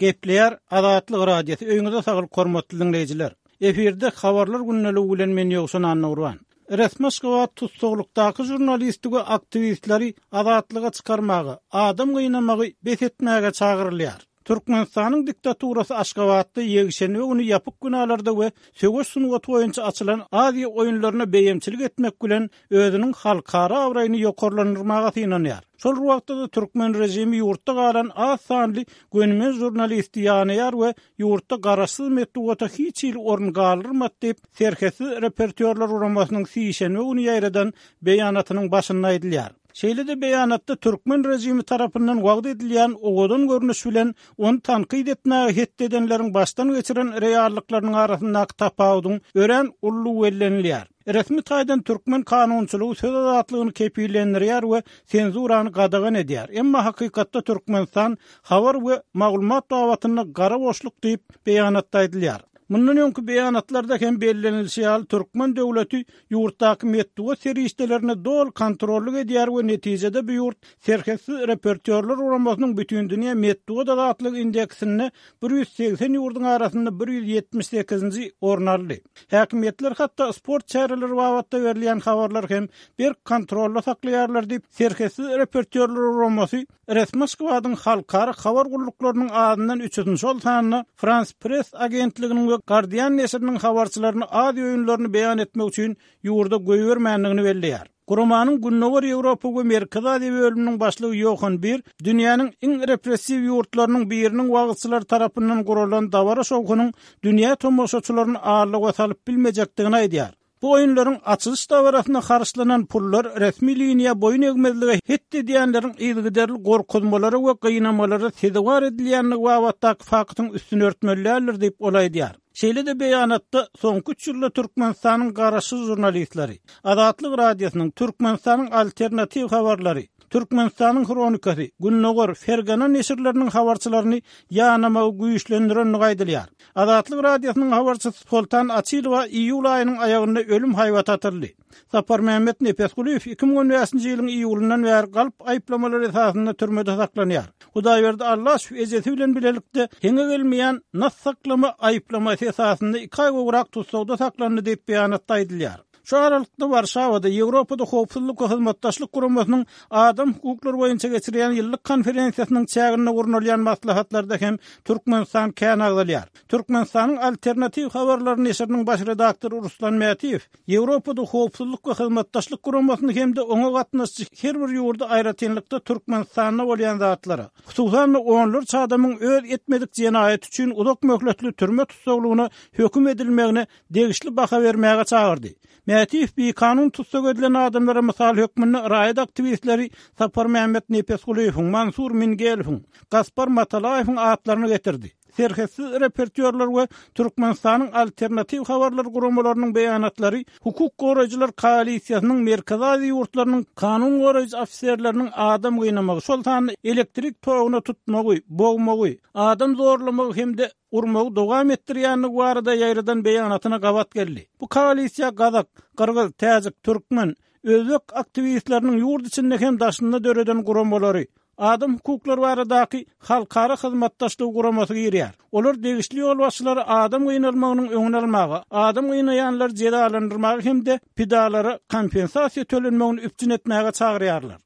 Gepleýär Azatlyk Radiosy, öýüňize saglyk hormatly diňleýjiler. Efirde Habarlar gündeligi bilen men Ýowşan Annagurban. Resmi Aşgabat tussaglykdaky žurnalisti we aktiwistleri azatlyga çykarmaga, adam gynamagy bes etmäge çagyrylýar. Türkmenistanyň diktaturasy Aşgabatda ýekşenbe güni ýapyk binalarda we söweş sungaty boýunça açylan Aziýa oýunlaryna beýemçilik etmek bilen özüniň halkara abraýyny ýokarlandyrmaga synanýar. Şol bir wagtda-da türkmen režimi ýurtda galan az sanly gönümel žurnalisti ýanaýar we ýurtda garaşsyz metbugata hiç hili orun galdyrmady diýip, Serhetsiz reportýorlar guramasynyň sişenbe güni ýaýradan beýanatynyň başynda aýdylýar. Şeýle-de beýanatda türkmen režimi tarapyndan wagyz edilýän owadan görnüş bilen ony tankyt etmäge hetdi edenleriň başdan geçiren reallyklarynyň arasyndaky tapawudyň örän uludygy bellenilýär. Resmi taýdan türkmen kanunçylygy söz azatlygyny kepillendirýär we senzurany gadagan edýär. Emma hakykatda Türkmenistan habar we maglumat babatynda gara boşluk diýip, beýanatda aýdylýar. Mundan öňki beýanatlarda hem bellenilişi ýaly, türkmen döwleti ýurtdaky metbugat serişdelerine doly kontrollyk edýär we netijede bu ýurt Serhetsiz reportýorlar guramasynyň Bütindünýä metbugat azatlygy indeksinde 180 ýurduň arasynda 178-nji orny aldy. Häkimiýetler hatda sport çäreleri babatda berilýän habarlary hem berk kontrolda saklaýarlar diýip, Serhetsiz reportýorlar guramasy Resmi Aşgabadyň halkara habar gulluklarynyň azyndan üçüsini, şol sanda Frans Press agentliginiň we Guardian neşiriniň habarçylaryny Aziýa oýunlaryny beýan etmek üçin ýurda goýbermändigini belleýär. Guramanyň Gündogar Ýewropa we Merkezi Aziýa bölüminiň başlygy Ýohan Bir dünýäniň iň repressiw ýurtlarynyň biriniň wagyzçylary tarapyndan guralan dabara-şowhunyň dünýä tomaşaçylaryny aldawa salyp bilmejekdigini aýdýar. Bu oýunlaryň açylyş dabarasyna harçlanan pullar resmi liniýa boýun egmezlige het edýänleriň yzygiderli gorkuzmalara we gynamalara sezewar edilýändigi babatdaky faktyň üstüni örtmeli däldir diýip, ol aýdýar. Şeýle-de beýanatda soňky üç ýylda Türkmenistanyň garaşsyz žurnalistleri, Azatlyk Radiosynyň, Türkmenistanyň Alternatiw habarlary, Türkmenistanyň Hronikasy, Gündogar, Fergana neşirleriniň habarçylaryny ýanamagy güýçlendirendigi aýdylýar. Azatlyk Radiosynyň habarçysy Soltan Açylowa iýul aýynyň aýagynda ölüm haýbaty atyldy. Saparmämmet Nepesgulyýew 2015-nji ýylyň iýulyndan bäri galp aýyplamalar esasynda türmede saklanýar. Hudaýberdi Allaşow ejesi bilen bilelikde heňe gelmeýän nas saklama aýyplamasy esasynda iki aý gowrak tussagda saklandy diýip, beýanatda aýdylýar. Şu aralykda Warşawada Ýewropada Howpsuzlyk we Hyzmatdaşlyk Guramasynyň adam hukuklary boýunça geçirýän ýyllyk konferensiýasynyň çäginde gurnalýan maslahatlarda hem Türkmenistan kän agzalýar. Türkmenistanyň Alternatiw habarlary neşiriniň baş redaktory Ruslan Mätiýew Ýewropada Howpsuzlyk we Hyzmatdaşlyk Guramasyny hem-de oňa gatnaşyjy her bir ýurdy aýratynlykda Türkmenistanda bolýan zatlara, hususan-da onlarça adamyň öz etmedik jenaýaty üçin uzak möhletli türme tussaglygyna höküm edilmegine degişli baha bermäge çagyrdy. Mätiýew bikanun tussag edilen adamlara mysal hökmünde raýat aktiwistleri Saparmämmet Nepesgulyýewiň, Mansur Mingelowyň, Gaspar Matalaýewiň atlaryny getirdi. Serhetsiz reportýorlar we Türkmenistanyň Alternatiw habarlar guramalarynyň beýanatlary hukuk goraýjylar koalisiýasynyň Merkezi Aziýa ýurtlarynyň kanun goraýjy ofiserleriniň adam gynamagy, şol sanda elektrik toguna tutmagy, bogmagy, adam zorlamagy hem-de urmagy dowam etdirýändigi barada ýaýradan beýanatyna gabat geldi. Bu koalisiýa gazak, gyrgyz, täjik, türkmen, özbek aktiwistleriniň ýurt içinde hem daşynda döreden guramalary, Adam hukuklary baradaky Halkara hyzmatdaşlygy guramasy girýär. Olar degişli ýolbaşçylary adam gynalmagynyň öňüni almaga, adam gynaýanlary jezalandyrmaga hem-de pidalara kompensasiýa tölenmegini üpjün etmäge çagyrýarlar.